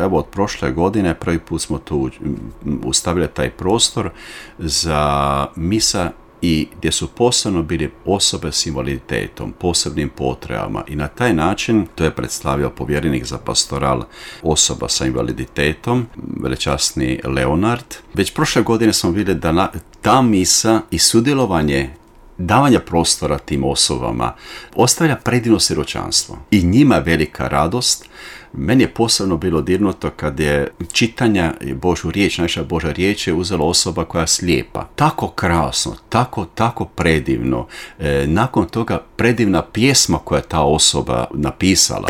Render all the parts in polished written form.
evo od prošle godine prvi put smo tu ustavili taj prostor za misa i gdje su posebno bili osobe s invaliditetom, posebnim potrebama i na taj način to je predstavio povjerenik za pastoral osoba sa invaliditetom, velečasni Leonard. Već prošle godine smo vidjeli da ta misa i sudjelovanje davanja prostora tim osobama ostavlja predivno siročanstvo i njima velika radost. Meni je posebno bilo dirnuto kad je čitanja Božju riječ, naša Božja riječ je uzela osoba koja je slijepa. Tako krasno, tako predivno. Nakon toga predivna pjesma koja je ta osoba napisala.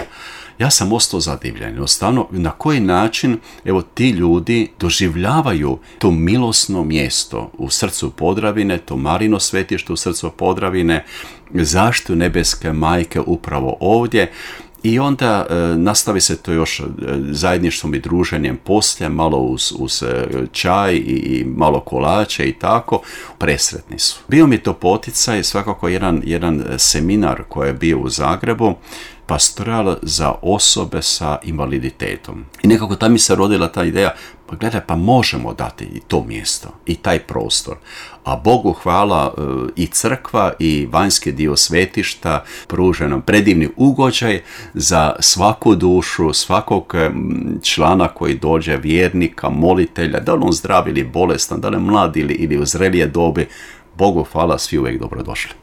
Ja sam ostao zadivljen. Jednostavno, na koji način evo ti ljudi doživljavaju to milosno mjesto u srcu Podravine, to Marino svetište u srcu Podravine, zaštitu nebeske majke upravo ovdje. I onda nastavi se to još zajedništvom i druženjem poslije, malo uz čaj i malo kolače i tako. Presretni su. Bio mi to poticaj, svakako jedan seminar koji je bio u Zagrebu, pastoral za osobe sa invaliditetom. I nekako tam mi se rodila ta ideja, pa gledaj, pa možemo dati i to mjesto, i taj prostor. A Bogu hvala i crkva i vanjski dio svetišta pruža nam predivni ugođaj za svaku dušu, svakog člana koji dođe, vjernika, molitelja, da li on zdrav ili bolestan, da li mlad ili u zrelije dobi. Bogu hvala, svi uvijek dobrodošli.